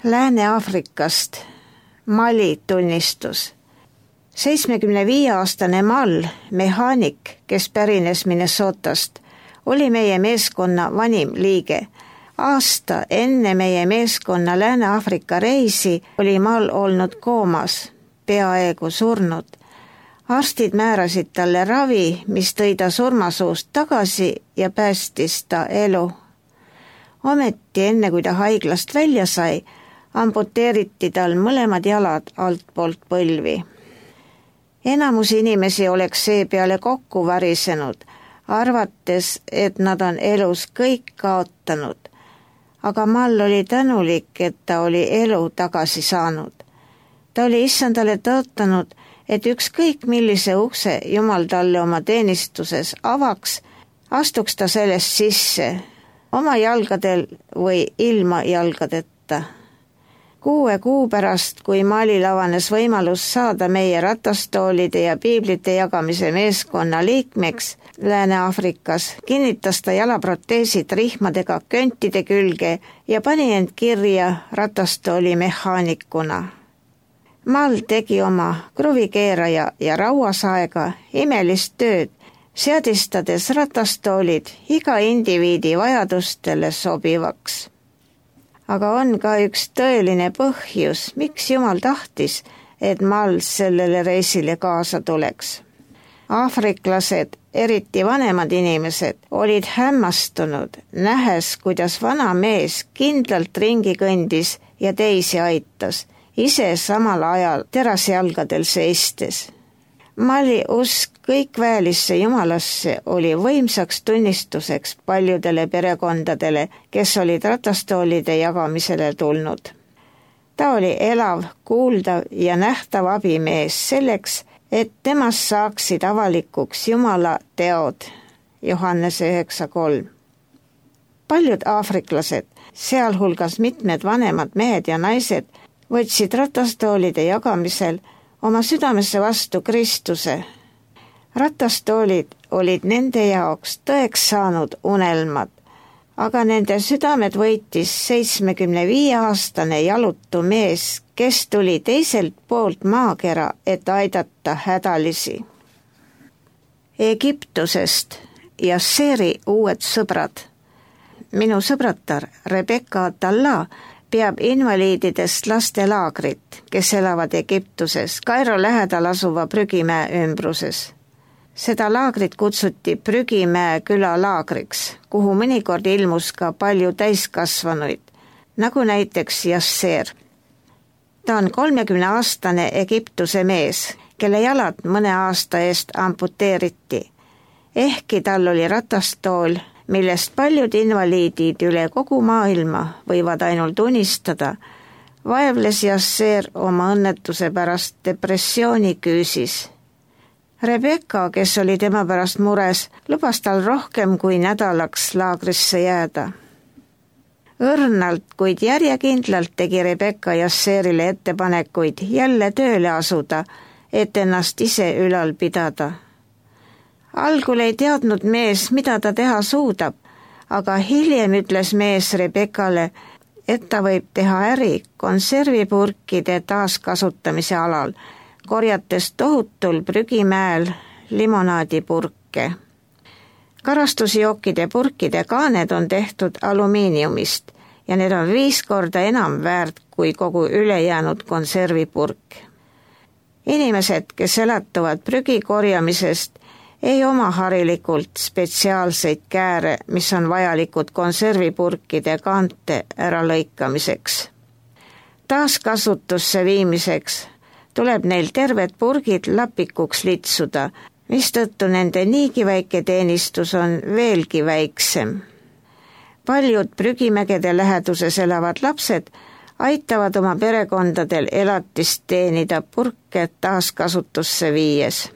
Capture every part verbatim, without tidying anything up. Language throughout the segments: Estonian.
Lääne-Aafrikast Mali tunnistus. seitsmekümne viie aastane Mal, mehaanik, kes pärines Minnesotast, oli meie meeskonna vanim liige. Aasta enne meie meeskonna Lääne-Aafrika reisi oli Mal olnud koomas, peaaegu surnud. Arstid määrasid talle ravi, mis tõi ta surmasuust tagasi ja päästis ta elu. Ometi enne, kui ta haiglast välja sai, amputeeriti tal mõlemad jalad altpoolt põlvi. Enamus inimesi oleks seepeale kokku varisenud, arvates, et nad on elus kõik kaotanud. Aga Mal oli tänulik, et ta oli elu tagasi saanud. Ta oli issandale tõotanud, et ükskõik millise ukse Jumal talle oma teenistuses avaks, astuks ta sellest sisse, oma jalgadel või ilma jalgadeta. Kuue kuu pärast, kui Malil avanes võimalus saada meie ratastoolide ja piiblite jagamise meeskonna liikmeks Lääne-Aafrikas, kinnitas ta jalaproteesid rihmadega köntide külge ja pani end kirja ratastooli mehaanikuna. Mal tegi oma kruvikeeraja ja rauasaega imelist tööd, seadistades ratastoolid iga indiviidi vajadustele sobivaks. Aga on ka üks tõeline põhjus, miks Jumal tahtis, et Mal sellele reisile kaasa tuleks. Aafriklased, eriti vanemad inimesed, olid hämmastunud, nähes, kuidas vana mees kindlalt ringi kõndis ja teisi aitas, ise samal ajal terasjalgadel seistes. Mali usk kõikväelisse Jumalasse oli võimsaks tunnistuseks paljudele perekondadele, kes olid ratastoolide jagamisele tulnud. Ta oli elav, kuuldav ja nähtav abimees selleks, et temast saaksid avalikuks Jumala teod. Johannese üheksa kolm. Paljud aafriklased, sealhulgas mitmed vanemad mehed ja naised, võtsid ratastoolide jagamisel oma südamesse vastu Kristuse. Ratastoolid olid nende jaoks tõeks saanud unelmad, aga nende südamed võitis seitsmekümne viie aastane jalutu mees, kes tuli teiselt poolt maakera, et aidata hädalisi. Egiptusest Jasseri uued sõbrad. Minu sõbratar Rebecca Atalla peab invaliididest lastelaagrit, kes elavad Egiptuses, Kairo lähedal asuva Prügimäe ümbruses. Seda laagrit kutsuti Prügimäe küla laagriks, kuhu mõnikord ilmus ka palju täiskasvanuid, nagu näiteks Jasser. Ta on kolmekümneaastane Egiptuse mees, kelle jalad mõne aasta eest amputeeriti. Ehkki tal oli ratastool, millest paljud invaliidid üle kogu maailma võivad ainult unistada, vaevles Jasser oma õnnetuse pärast depressiooni küüsis. Rebecca, kes oli tema pärast mures, lubas tal rohkem kui nädalaks laagrisse jääda. Õrnalt, kuid järjekindlalt tegi Rebecca Jasserile ettepanekuid jälle tööle asuda, et ennast ise ülal pidada. Algul ei teadnud mees, mida ta teha suudab, aga hiljem ütles mees Rebeccale, et ta võib teha äri konservipurkide taaskasutamise alal, korjates tohutul Prügimäel limonaadipurke. Karastusjookide purkide kaaned on tehtud alumiiniumist ja need on viis korda enam väärt kui kogu ülejäänud konservipurk. Inimesed, kes elatuvad prügi korjamisest, ei oma harilikult spetsiaalseid kääre, mis on vajalikud konservipurkide kaante äralõikamiseks. Taaskasutusse viimiseks tuleb neil terved purgid lapikuks litsuda, mistõttu nende niigi väike teenistus on veelgi väiksem. Paljud prügimägede läheduses elavad lapsed aitavad oma perekondadel elatist teenida purke taaskasutusse viies.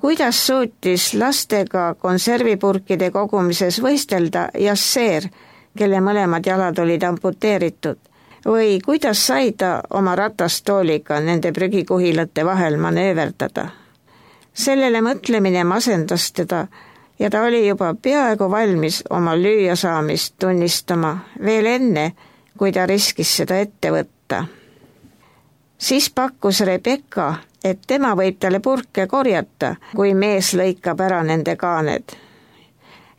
Kuidas suutis lastega konservipurkide kogumises võistelda Jasser, kelle mõlemad jalad olid amputeeritud, või kuidas sai ta oma ratastooliga nende prügikuhilate vahel manööverdada? Sellele mõtlemine masendas teda ja ta oli juba peaaegu valmis oma lüüasaamist tunnistama veel enne, kui ta riskis seda ette võtta. Siis pakkus Rebecca, et tema võib talle purke korjata, kui mees lõikab ära nende kaaned.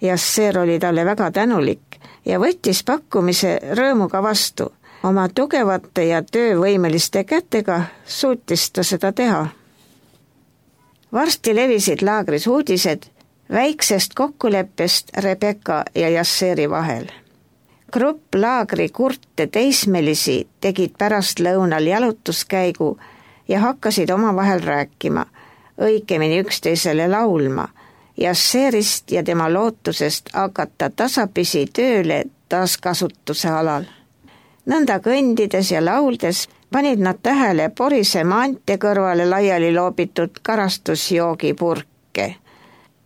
Jasser oli talle väga tänulik ja võttis pakkumise rõõmuga vastu. Oma tugevate ja töövõimeliste kätega suutis ta seda teha. Varsti levisid laagris uudised väiksest kokkuleppest Rebecca ja Jasseri vahel. Grupp laagri kurte teismelisi tegid pärast lõunal jalutuskäigu ja hakkasid omavahel rääkima, õigemini üksteisele laulma, Jasserist ja tema lootusest hakata tasapisi tööle taaskasutuse alal. Nõnda kõndides ja lauldes panid nad tähele porise maantee kõrvale laiali loobitud karastusjoogipurke.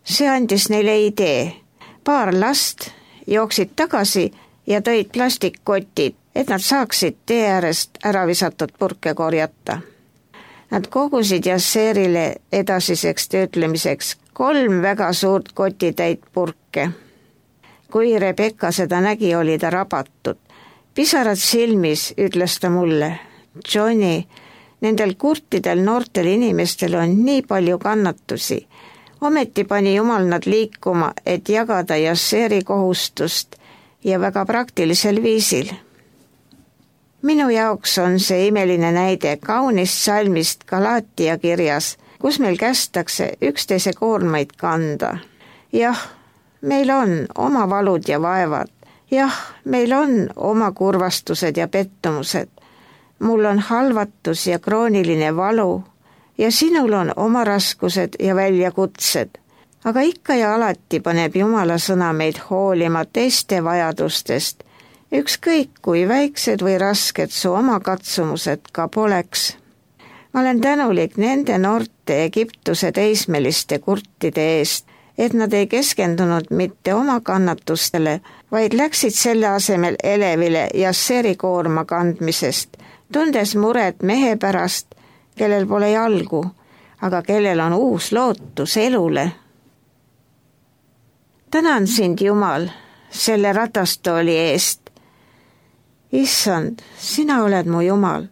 See andis neile idee. Paar last jooksid tagasi ja tõid plastikkotid, et nad saaksid tee äärest ära visatud purke korjata. Nad kogusid Jasserile edasiseks töötlemiseks kolm väga suurt kotitäit purke. Kui Rebecca seda nägi, oli ta rabatud. Pisarad silmis ütles ta mulle, Johnny, nendel kurtidel noortel inimestel on nii palju kannatusi. Ometi pani Jumal nad liikuma, et jagada Jasseri kohustust ja väga praktilisel viisil. Minu jaoks on see imeline näide kaunist salmist Galatia kirjas, kus meil kästakse üksteise koormaid kanda. Jah, meil on oma valud ja vaevad. Jah, meil on oma kurvastused ja pettumused. Mul on halvatus ja krooniline valu ja sinul on oma raskused ja väljakutsed. Aga ikka ja alati paneb Jumala sõna meid hoolima teiste vajadustest, ükskõik kui väiksed või rasked su oma katsumused ka poleks. Ma olen tänulik nende noorte Egiptuse teismeliste kurtide eest, et nad ei keskendunud mitte oma kannatustele, vaid läksid selle asemel elevile Jasseri koorma kandmisest, tundes muret mehe pärast, kellel pole jalgu, aga kellel on uus lootus elule. Tänan sind, Jumal, selle ratastooli eest. Issand, sina oled mu Jumal.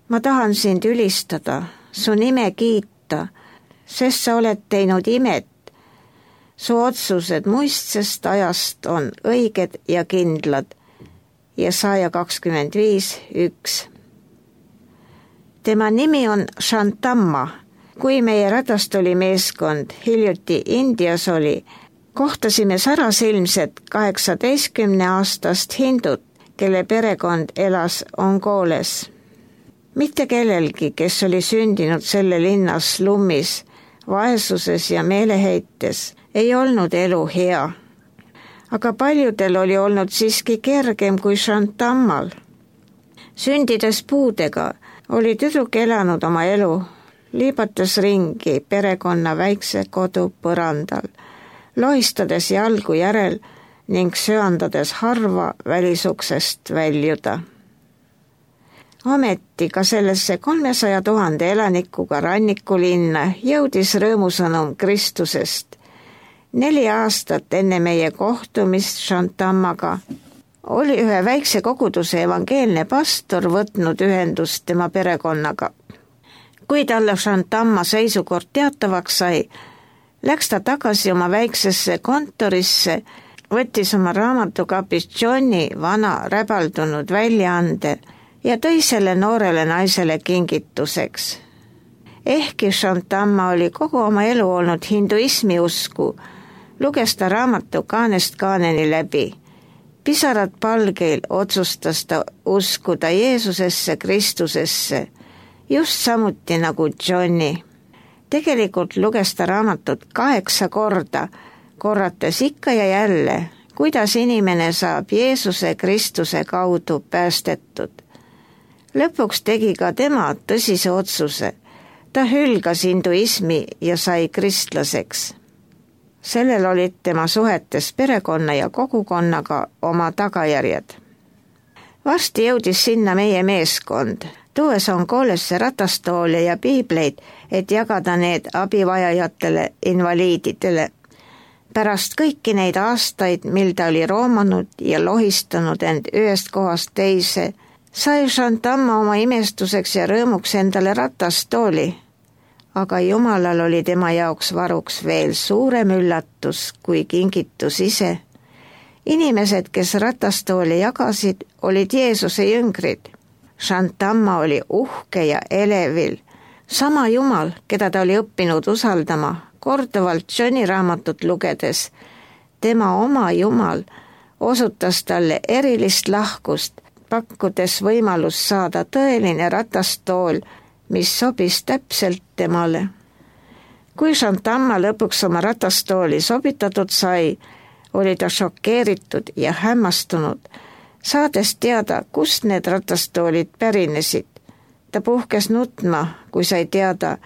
Ma tahan sind ülistada, su nime kiita, sest sa oled teinud imet. Su otsused muistsest ajast on õiged ja kindlad. Jesaja kakskümmend viis üks. Tema nimi on Shantamma. Kui meie ratastoli meeskond hiljuti Indias oli, kohtasime sarasilmset kaheksateistkümne aastast hindut, kelle perekond elas Ongoles. Mitte kellelgi, kes oli sündinud selle linnas slummis, vaesuses ja meeleheites, ei olnud elu hea. Aga paljudel oli olnud siiski kergem kui Shantammal. Sündides puudega oli tüdruk elanud oma elu, liibates ringi perekonna väikse kodu põrandal, lohistades jalgu järel ning söandades harva välisuksest väljuda. Ometi ka sellesse kolmesaja tuhande elanikuga rannikulinna jõudis rõõmusõnum Kristusest. Neli aastat enne meie kohtumist Shantammaga oli ühe väikse koguduse evangeelne pastor võtnud ühendust tema perekonnaga. Kui talle Shantamma seisukord teatavaks sai, läks ta tagasi oma väiksesse kontorisse, võttis oma raamatukapist Johnny vana räbaldunud väljaande ja tõi selle noorele naisele kingituseks. Ehkki Shantamma oli kogu oma elu olnud hinduismi usku, luges ta raamatu kaanest kaaneni läbi. Pisarad palgeil otsustas ta uskuda Jeesusesse, Kristusesse, just samuti nagu Johnny. Tegelikult luges ta raamatut kaheksa korda, korrates ikka ja jälle, kuidas inimene saab Jeesuse Kristuse kaudu päästetud. Lõpuks tegi ka tema tõsise otsuse. Ta hülgas hinduismi ja sai kristlaseks. Sellel olid tema suhetes perekonna ja kogukonnaga oma tagajärjed. Varsti jõudis sinna meie meeskond, tuues Ongolesse ratastoole ja piibleid, et jagada need abivajajatele invaliididele. Pärast kõiki neid aastaid, mil ta oli roomanud ja lohistanud end ühest kohast teise, sai Chantamma oma imestuseks ja rõõmuks endale ratastooli. Aga Jumalal oli tema jaoks varuks veel suurem üllatus kui kingitus ise. Inimesed, kes ratastooli jagasid, olid Jeesuse jüngrid. Chantamma oli uhke ja elevil. Sama Jumal, keda ta oli õppinud usaldama, korduvalt Johni raamatut lugedes, tema oma Jumal osutas talle erilist lahkust, pakkudes võimalust saada tõeline ratastool, mis sobis täpselt temale. Kui Chantamma lõpuks oma ratastooli sobitatud sai, oli ta šokeeritud ja hämmastunud, saades teada, kust need ratastoolid pärinesid. Ta puhkes nutma, kui sai teada,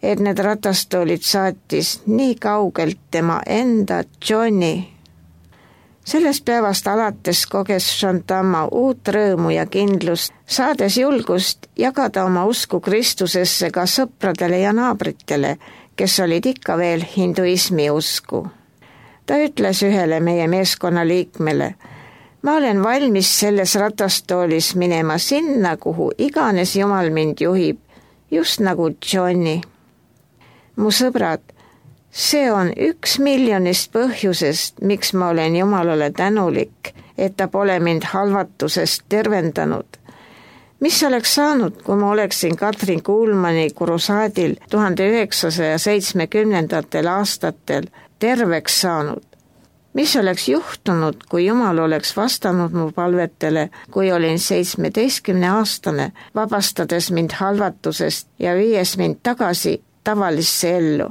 et need ratastoolid saatis nii kaugelt tema enda Johnny. Sellest päevast alates koges Chantamma uut rõõmu ja kindlust, saades julgust jagada oma usku Kristusesse ka sõpradele ja naabritele, kes olid ikka veel hinduismi usku. Ta ütles ühele meie meeskonna liikmele, ma olen valmis selles ratastoolis minema sinna, kuhu iganes Jumal mind juhib, just nagu Johnny. Mu sõbrad, see on üks miljonist põhjusest, miks ma olen Jumalale tänulik, et ta pole mind halvatusest tervendanud. Mis oleks saanud, kui ma oleksin Katrin Kuulmani kurusaadil tuhande üheksasaja seitsmekümnendatel aastatel terveks saanud? Mis oleks juhtunud, kui Jumal oleks vastanud mu palvetele, kui olin seitsmeteistkümne aastane, vabastades mind halvatusest ja viies mind tagasi tavalisse ellu?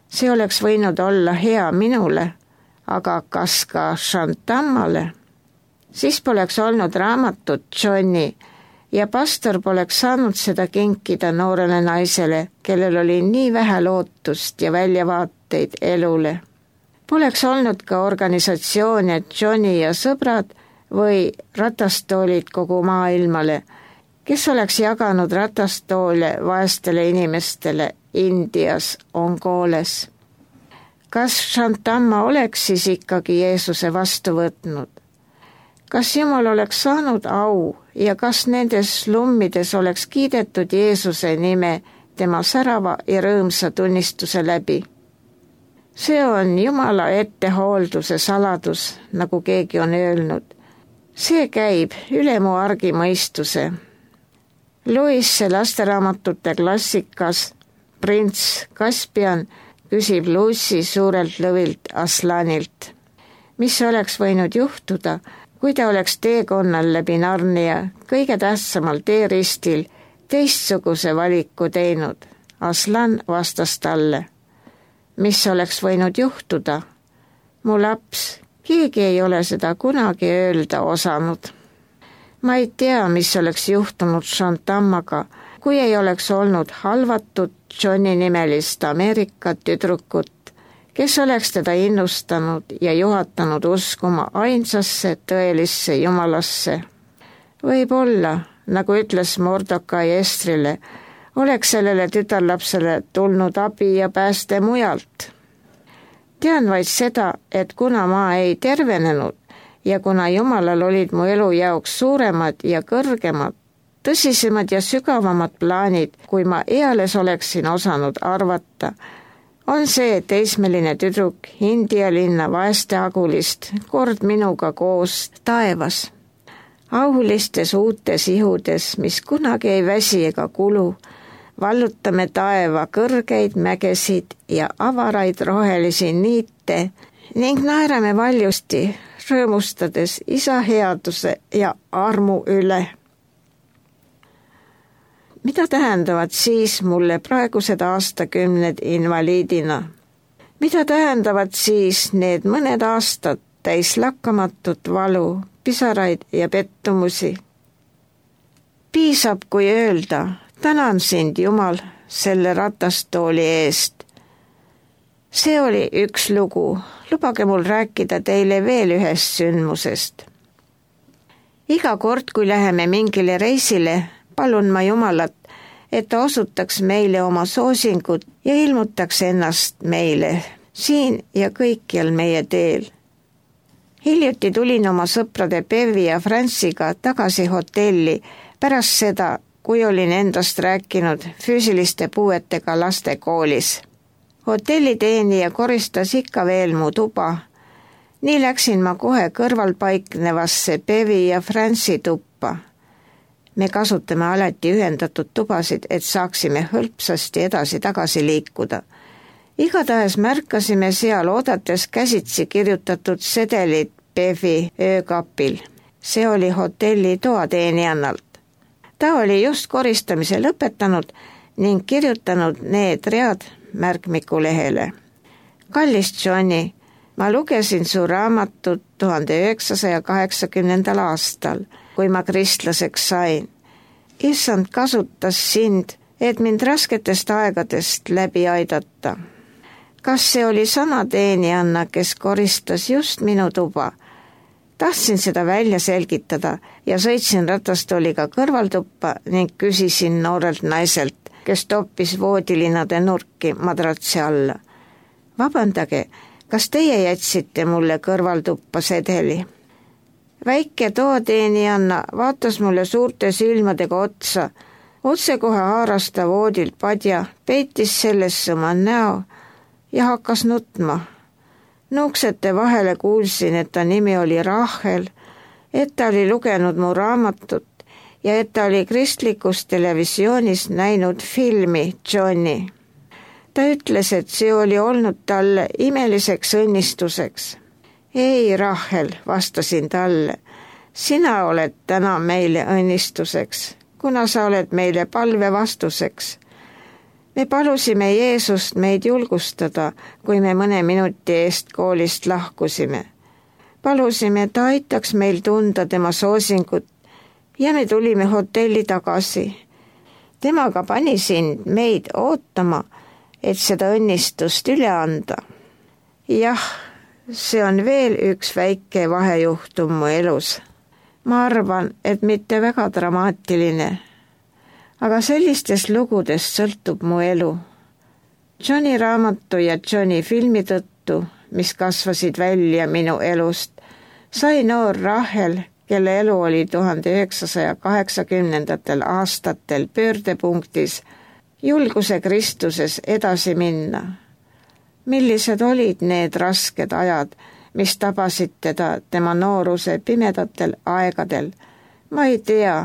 See oleks võinud olla hea minule, aga kas ka Chantammale? Siis poleks olnud raamatut Johnny ja pastor poleks saanud seda kinkida noorele naisele, kellel oli nii vähe lootust ja väljavaateid elule. Poleks olnud ka organisatsioone Johnny ja sõbrad või ratastoolid kogu maailmale, kes oleks jaganud ratastoole vaestele inimestele Indias, Ongoles. Kas Chantamma oleks siis ikkagi Jeesuse vastu võtnud? Kas Jumal oleks saanud au ja kas nendes slummides oleks kiidetud Jeesuse nime tema särava ja rõõmsa tunnistuse läbi? See on Jumala ettehoolduse saladus, nagu keegi on öelnud. See käib üle mu argimõistuse. Louise lasteraamatute klassikas Prints Caspian küsib Lucy suurelt lõvilt Aslanilt, mis oleks võinud juhtuda, kui ta oleks teekonnal läbi Narnia kõige tähtsamal teeristil teistsuguse valiku teinud. Aslan vastas talle, mis oleks võinud juhtuda. Mu laps, keegi ei ole seda kunagi öelda osanud. Ma ei tea, mis oleks juhtunud Chantammaga, kui ei oleks olnud halvatud Johnny nimelist Ameerika tüdrukut, kes oleks teda innustanud ja juhatanud uskuma ainsasse tõelisse Jumalasse. Võib-olla, nagu ütles Mordokai Estrile, oleks sellele tütarlapsele tulnud abi ja pääste mujalt. Tean vaid seda, et kuna ma ei tervenenud ja kuna Jumalal olid mu elu jaoks suuremad ja kõrgemad, tõsisemad ja sügavamad plaanid, kui ma eales oleksin osanud arvata, on see teismeline tüdruk India linna vaeste agulist kord minuga koos taevas. Aulistes uutes ihudes, mis kunagi ei väsi ega kulu, vallutame taeva kõrgeid mägesid ja avaraid rohelisi niite ning naerame valjusti, rõõmustades isa headuse ja armu üle. Mida tähendavad siis mulle praegused aastakümned invaliidina? Mida tähendavad siis need mõned aastad täis lakkamatut valu, pisaraid ja pettumusi? Piisab, kui öelda, tänan sind, Jumal, selle ratastooli eest. See oli üks lugu, lubage mul rääkida teile veel ühest sündmusest. Iga kord, kui läheme mingile reisile, palun ma Jumalat, et ta osutaks meile oma soosingut ja ilmutaks ennast meile siin ja kõikjal meie teel. Hiljuti tulin oma sõprade Bevi ja Franciga tagasi hotelli pärast seda, kui olin endast rääkinud füüsiliste puuetega laste koolis. Hotelliteenija koristas ikka veel mu tuba. Nii läksin ma kohe kõrval paiknevasse Bevi ja Franci tuppa. Me kasutame alati ühendatud tubasid, et saaksime hõlpsasti edasi-tagasi liikuda. Igatahes märkasime seal oodates käsitsi kirjutatud sedelit Bevi öökapil. See oli hotelli toateenijannalt. Ta oli just koristamise lõpetanud ning kirjutanud need read märkmikulehele. Kallis Johnny, ma lugesin su raamatut tuhande üheksasaja kaheksakümnendal aastal, kui ma kristlaseks sain. Issand kasutas sind, et mind rasketest aegadest läbi aidata. Kas see oli sama teenijanna, kes koristas just minu tuba? Tahtsin seda välja selgitada ja sõitsin ratastooliga kõrvaltuppa ning küsisin noorelt naiselt, kes toppis voodilinade nurki madratsi alla. Vabandage, kas teie jätsite mulle kõrvaltuppa sedeli? Väike toateenijanna vaatas mulle suurte silmadega otsa, otsekohe haaras ta voodilt padja, peitis sellesse oma näo ja hakkas nutma. Nuuksete vahele kuulsin, et ta nimi oli Rahel, et ta oli lugenud mu raamatut ja et ta oli kristlikus televisioonis näinud filmi Johnny. Ta ütles, et see oli olnud talle imeliseks õnnistuseks. Ei, Rahel, vastasin talle, sina oled täna meile õnnistuseks, kuna sa oled meile palve vastuseks. Me palusime Jeesust meid julgustada, kui me mõne minuti eest koolist lahkusime. Palusime, et ta aitaks meil tunda tema soosingut ja me tulime hotelli tagasi. Temaga pani sind meid ootama, et seda õnnistust üle anda. Jah, see on veel üks väike vahejuhtum mu elus. Ma arvan, et mitte väga dramaatiline. Aga sellistest lugudest sõltub mu elu. Johnny raamatu ja Johnny filmi tõttu, mis kasvasid välja minu elust, sai noor Rahel, kelle elu oli tuhande üheksasaja kaheksakümnendatel aastatel pöördepunktis, julguse Kristuses edasi minna. Millised olid need rasked ajad, mis tabasid teda tema nooruse pimedatel aegadel? Ma ei tea,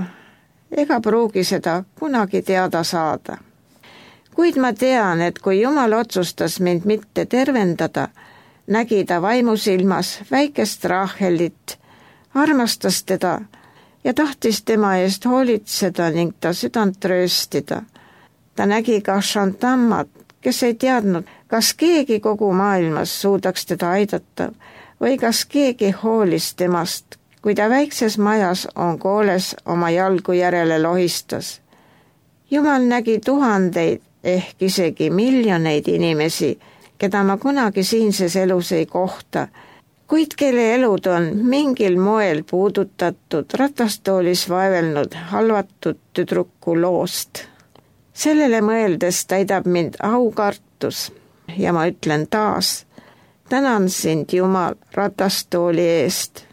ega pruugi seda kunagi teada saada. Kuid ma tean, et kui Jumal otsustas mind mitte tervendada, nägi ta vaimusilmas väikest Rahelit, armastas teda ja tahtis tema eest hoolitseda ning ta südant trööstida. Ta nägi ka Shantammat, kes ei teadnud, kas keegi kogu maailmas suudaks teda aidata või kas keegi hoolis temast, kui ta väikses majas on kooles oma jalgu järele lohistas. Jumal nägi tuhandeid, ehk isegi miljoneid inimesi, keda ma kunagi siinses elus ei kohta, kuid kelle elud on mingil moel puudutatud ratastoolis vaevelnud halvatud tüdruku loost. Sellele mõeldes täidab mind aukartus ja ma ütlen taas, tänan sind, Jumal, ratastooli eest.